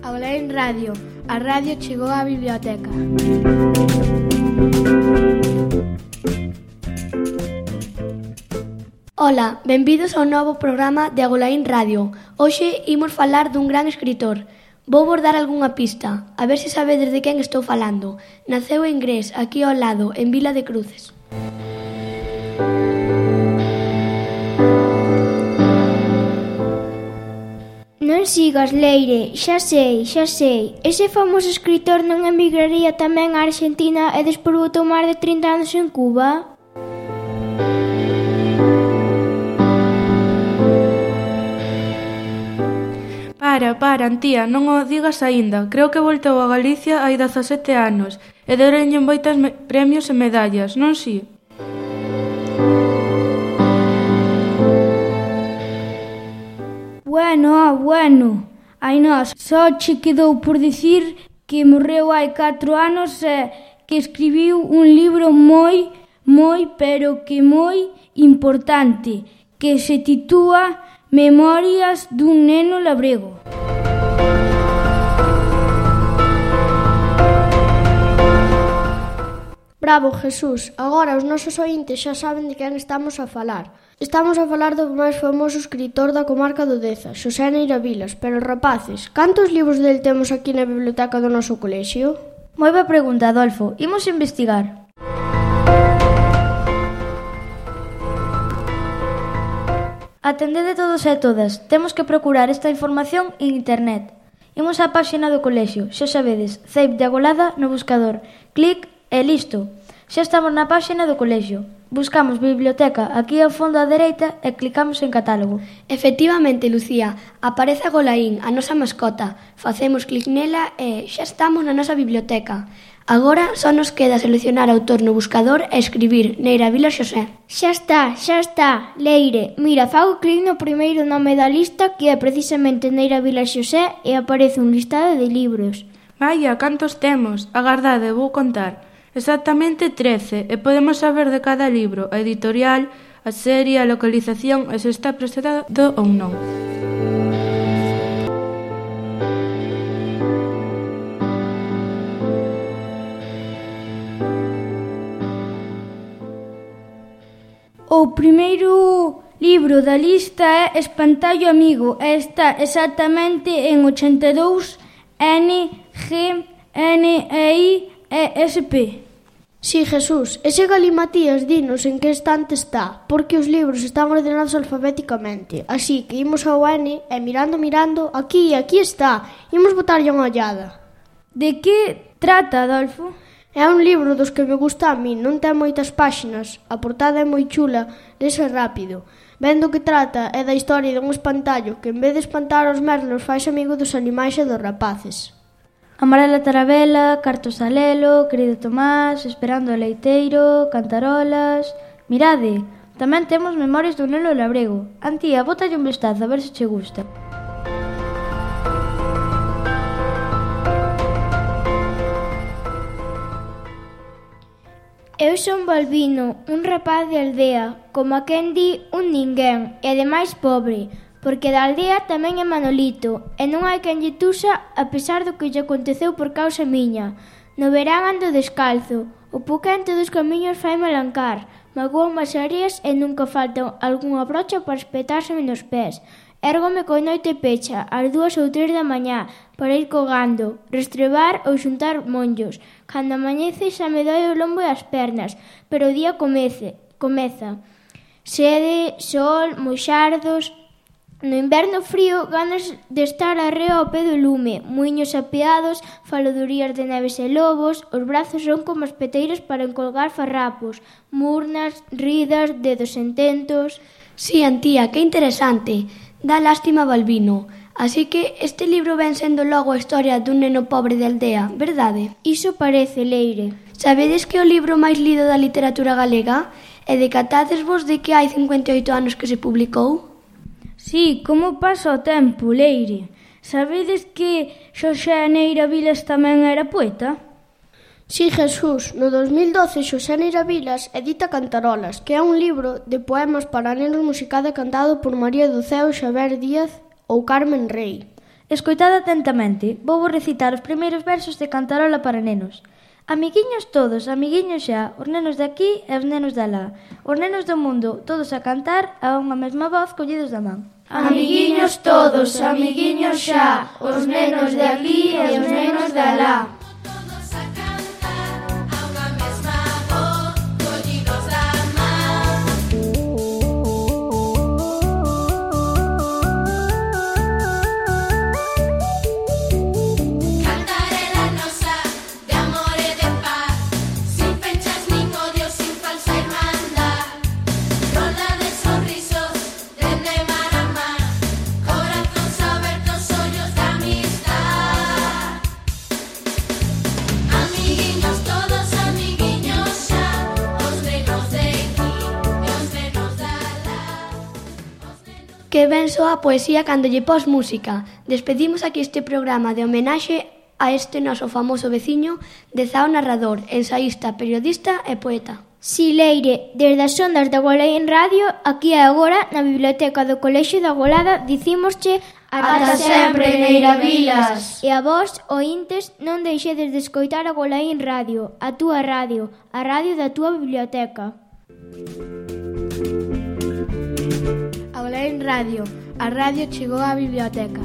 Aulain Radio. A radio chegou á biblioteca. Ola, benvidos ao novo programa de Aulain Radio. Hoxe imos falar dun gran escritor. Vou vos dar algunha pista, a ver se sabedes de quen estou falando. Naceu en Gres, aquí ao lado, en Vila de Cruces. Non sigas, Leire, xa sei. Ese famoso escritor non emigraría tamén á Argentina e despois botou máis de 30 anos en Cuba? Para, Antía, non o digas aínda. Creo que voltou a Galicia hai 17 anos e deronlle moitas premios e medallas, non si? Bueno. Ai nós, só che quedou por dicir que morreu hai 4 anos e que escribiu un libro moi importante que se titúa Memorias dun neno labrego. Bravo, Jesús. Agora os nosos ointes xa saben de quen estamos a falar. Estamos a falar do máis famoso escritor da comarca do Deza, Xosé Neira Vilas. Pero, rapaces, cantos libros del temos aquí na biblioteca do noso colexio? Moi boa pregunta, Adolfo. Imos investigar. Atendede todos e todas. Temos que procurar esta información en internet. Imos á páxina do colexio. Xa sabedes, Ceip de agolada no buscador. Clic e listo. Xa estamos na páxina do colexio. Buscamos biblioteca aquí ao fondo á dereita e clicamos en catálogo. Efectivamente, Lucía, aparece Agolaín, a nosa mascota. Facemos clic nela e xa estamos na nosa biblioteca. Agora só nos queda seleccionar autor no buscador e escribir Neira Vilas Xosé. Xa está, Leire. Mira, fago clic no primeiro nome da lista, que é precisamente Neira Vilas Xosé, e aparece un listado de libros. Vaya, cantos temos? Agardade, vou contar. Exactamente 13, e podemos saber de cada libro, a editorial, a serie, a localización e se está presentado ou non. O primeiro libro da lista é Espantallo Amigo e está exactamente en 82 NGNEIESP. Si, Jesús, ese galimatías dinos en que estante está, porque os libros están ordenados alfabéticamente. Así que imos ao N e mirando, aquí está. Imos botarlle unha ollada. De que trata, Adolfo? É un libro dos que me gusta a mí, non ten moitas páxinas, a portada é moi chula, lese rápido. Vendo que trata é da historia dun espantallo que en vez de espantar os merlos fais amigo dos animais e dos rapaces. Amarela Tarabela, Cartos a Lelo, Querido Tomás, Esperando o Leiteiro, Cantarolas... Mirade, tamén temos Memorias dun neno labrego. Antía, bótalle un vistazo a ver se che gusta. Eu son Balbino, un rapaz de aldea, como a quen di un ninguén, e ademais pobre, porque da aldea tamén é Manolito, e non hai quen lle tusa a pesar do que lle aconteceu por causa miña. No verán ando descalzo, o poquente dos camiños fai malancar, magouan as areas e nunca falta algunha brocha para espetárseme nos pés. Érgome coi noite pecha, ás 2 ou 3 da mañá, para ir cogando, restrebar ou xuntar monllos. Cando amanece xa me doi o lombo e as pernas, pero o día comeza. Sede, sol, moxardos... No inverno frío, ganas de estar arreo ao pé do lume, muiños apeados, faladurías de neves e lobos, os brazos son como as peteiras para encolgar farrapos, murnas, ridas, dedos ententos... Si, Antía, que interesante. Dá lástima Balbino. Así que este libro ven sendo logo a historia dun neno pobre de aldea, verdade? Iso parece, Leire. Sabedes que é o libro máis lido da literatura galega? E decatádesvos de que hai 58 anos que se publicou? Si, como pasa o tempo, Leire. Sabedes que Xosé Neira Vilas tamén era poeta? Si, Jesús, no 2012 Xosé Neira Vilas edita Cantarolas, que é un libro de poemas para nenos musicado e cantado por María do Ceo Xavier Díaz ou Carmen Rei. Escoitade atentamente, vou recitar os primeiros versos de Cantarola para nenos. Amiguiños todos, amiguiños xa, os nenos de aquí e os nenos de alá. Os nenos do mundo, todos a cantar a unha mesma voz collidos da man. Amiguiños todos, amiguiños xa, os nenos de aquí e os nenos de alá. Que ben soa a poesía cando lle pos música. Despedimos aquí este programa de homenaxe a este noso famoso veciño, Dezao narrador, ensaísta, periodista e poeta. Si, Leire, desde as ondas da Agolaín Radio, aquí e agora, na Biblioteca do Colexio da Agolada, dicímosche ata sempre, Neiravilas. E a vos, ointes, non deixedes de escoitar Agolaín Radio, a túa radio, a radio da túa biblioteca. Agolaín Radio, a radio chegou á biblioteca.